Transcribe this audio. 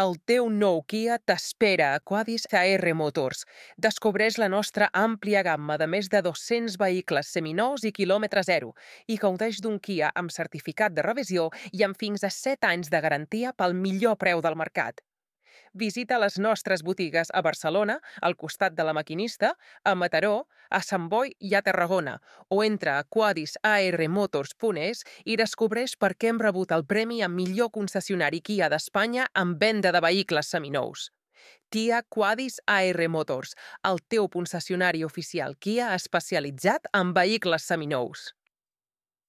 El teu nou Kia t'espera a Quadis AR Motors. Descobreix la nostra àmplia gamma de més de 200 vehicles seminous i quilòmetre zero i gaudeix d'un Kia amb certificat de revisió i amb fins a 7 anys de garantia pel millor preu del mercat. Visita les nostres botigues a Barcelona, al costat de La Maquinista, a Mataró, a Sant Boi i a Tarragona, o entra a quadisarmotors.es i descobreix per què hem rebut el premi a millor concessionari Kia d'Espanya en venda de vehicles seminous. Kia Quadis AR Motors, el teu concessionari oficial Kia especialitzat en vehicles seminous.